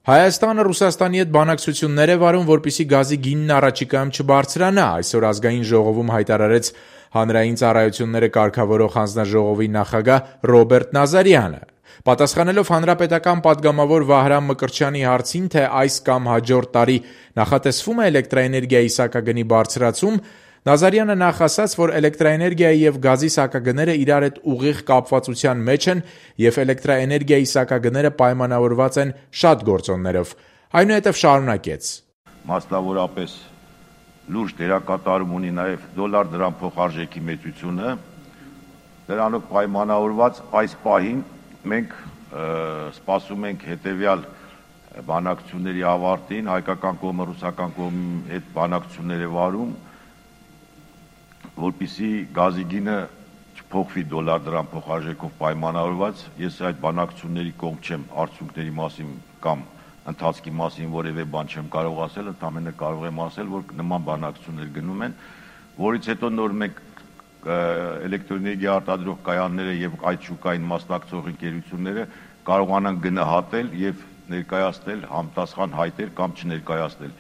Հայաստանը Ռուսաստանի հետ բանակցություններ է վարում, որպեսզի գազի գինն առաջիկայում չբարձրանա, այսօր ազգային ժողովում հայտարարեց Հանրային ծառայությունները կարգավորող հանձնաժողովի նախագահ Ռոբերտ Նազարյանը։ Պատասխանելով հանրապետական պատգամավոր Վահրամ Մկրտչյանի հարցին, թե այս կամ հաջորդ տարի նախատեսվում է էլեկտրաէներգիայի սակագնի բարձրացում, Նազարյանը նախ ասաց, որ էլեկտրաէներգիայի եւ գազի սակագները իրար հետ ուղիղ կապվածության մեջ են եւ էլեկտրաէներգիայի սակագները պայմանավորված են շատ գործոններով։ Այնուհետև շարունակեց. Մասնավորապես լուրջ դերակատարում ունի նաեւ դոլար-դրամ փոխարժեքի մեծությունը, դրանով պայմանավորված այս պահին մենք սպասում ենք հետեւյալ բանակցությունների ավարտին, հայկական կողմը ռուսական կողմի հետ բանակցություններ է վարում, որպեսզի գազի գինը չփոխվի դոլար-դրամ փոխարժեքով պայմանավորված, ես այդ բանակցությունների կողմ չեմ, արդյունքների մասին կամ ընթացքի մասին որևէ բան չեմ կարող ասել, ընդամենը կարող եմ ասել, որ նման բանակցություններ գնում են, որից հետո նոր մենք էլեկտրոէներգիա արտադրող կայանները եւ այդ շուկային մասնակցող ընկերությունները կարողանան գնահատել եւ ներկայացնել համապատասխան հայտեր կամ չներկայացնել։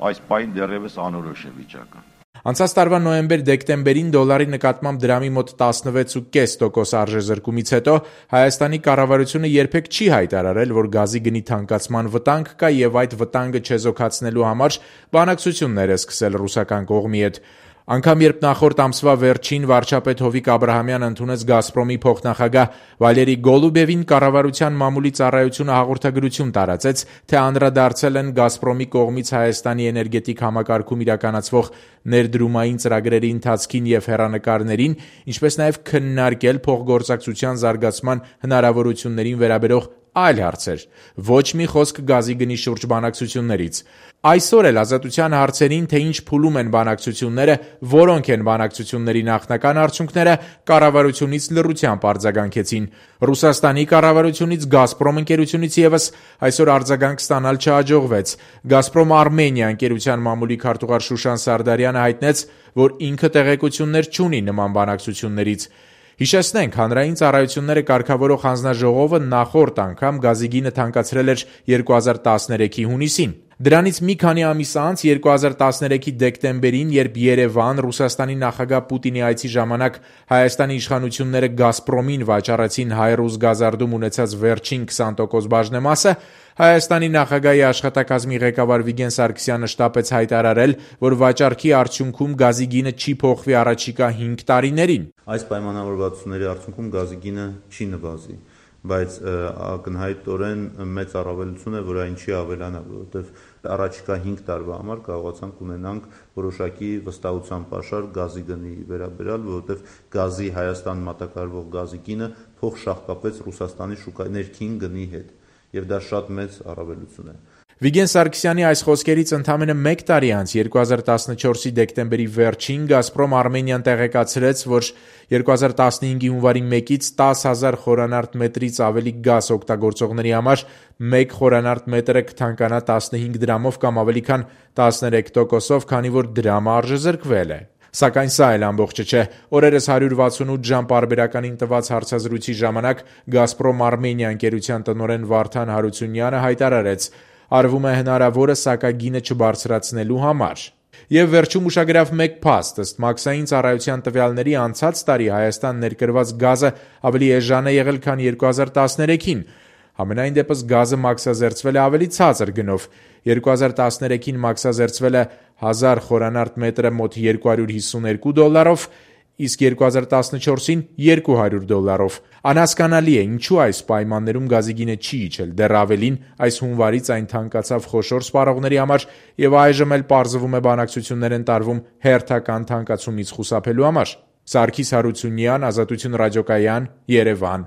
Այս պահին դեռևս անորոշ է վիճակը։ Անցած տարվա նոյեմբեր-դեկտեմբերին դոլարի նկատմամբ դրամի մոտ 16.5% արժեզրկումից հետո Հայաստանի կառավարությունը երբեք չի հայտարարել, որ գազի գնի թանկացման վտանգ կա եւ այդ վտանգը չեզոքացնելու համար բանակցություններ է սկսել ռուսական կողմի հետ։ Անգամ երբ նախորդ ամսվա վերջին վարչապետ Հովիկ Աբրահամյանը ընդունեց «Գազպրոմի» փոխնախագահ Վալերի Գոլուբևին, կառավարության մամուլի ծառայությունը հաղորդագրություն տարածեց, թե անդրադարձել են «Գազպրոմի» կողմից Հայաստանի էներգետիկ համակարգում իրականացվող ներդրումային ծրագրերի ընթացքին եւ հեռանկարներին, ինչպես նաեւ քննարկել փոխգործակցության զարգացման հնարավորություններին վերաբերող այլ հարցեր։ Ոչ մի խոսք գազի գնի շուրջ բանակցություններից։ Այսօր էլ Ազատության հարցերին, թե ինչ փուլում են բանակցությունները, որոնք են բանակցությունների նախնական արդյունքները, կառավարությունից լռությամբ արձագանքեցին։ Ռուսաստանի կառավարությունից, «Գազպրոմ» ընկերությունից եւս այսօր արձագանք ստանալ չհաջողվեց։ «Գազպրոմ Արմենիա» ընկերության մամուլի քարտուղար Շուշան Սարդարյանը հայտնեց, որ ինքը տեղեկություններ չունի նման բանակցություններից։ Հիշեցնենք, Հանրային ծառայությունները կարգավորող հանձնաժողովը նախորդ անգամ գազի գինը թանկացրել էր 2013-ի հունիսին։ Դրանից մի քանի ամիս անց 2013-ի դեկտեմբերին, երբ Երևան Ռուսաստանի նախագահ Պուտինի այցի ժամանակ Հայաստանի իշխանությունները «Գազպրոմին» վաճառեցին հայ-ռուս գազարդում ունեցած վերջին 20% բաժնեմասը, Հայաստանի նախագահի աշխատակազմի ղեկավար Վիգեն Սարգսյանը շտապեց հայտարարել, որ վաճառքի արդյունքում գազի գինը չի փոխվի առաջիկա 5 տարիներին։ Այս պայմանավորվածությունների արդյունքում գազի գինը չի նվազի, բայց ակնհայտորեն մեծ առավելություն է, որ այն չի ավելանա, որովհետև առաջիկա 5 տարվա համար կարողացանք ունենանք որոշակի վստահության պաշար գազի գնի վերաբերյալ, որովհետև գազի Հայաստան մատակարարվող գազի գինը փոխշահկապեց Ռուսաստանի շուկայի ներքին գնի հետ, եւ դա շատ մեծ առավելություն է։ Վիգեն Սարգսյանի այս խոսքերից ընդամենը 1 տարի անց 2014-ի դեկտեմբերի վերջին «Գազպրոմ Արմենիան» տեղեկացրեց, որ 2015-ի հունվարի 1-ից 10,000 խորանարդ մետրից ավելի գազ օգտագործողների համար 1 խորանարդ մետրը կթանկանա 15 դրամով կամ ավելի քան 13%-ով, քանի որ դրամը արժեզրկվել է։ Սակայն սա էլ ամբողջը չէ։ Օրերս 168 ժամ պարբերականին տված հարցազրույցի ժամանակ «Գազպրոմ Արմենիա» ընկերության տնօրեն Վարդան Հարությունյանը հայտարարեց. արվում է հնարավորը սակագինը չբարձրացնելու համար։ Եվ վերջում ուշագրավ մեկ փաստ, ըստ մաքսային ծառայության տվյալների անցած տարի Հայաստան ներկրված գազը ավելի էժան է եղել, քան 2013-ին։ Համենայն դեպս գազը մաքսազերծվել է ավելի ցածր գնով։ 2013-ին մաքսազերծվել է 1000 խորանարդ մետրը մոտ $252, իսկ 2014-ին $200։ Անհասկանալի է, ինչու այս պայմաններում գազի գինը չի իջել, դեռ ավելին, այս հունվարից այն թանկացավ խոշոր սպառողների համար եւ այժմ էլ պարզվում է բանակցություններ են տարվում հերթական թանկացումից խուսափելու համար։ Սարգիս Հարությունյան, Ազատություն ռադիոկայան, Երևան։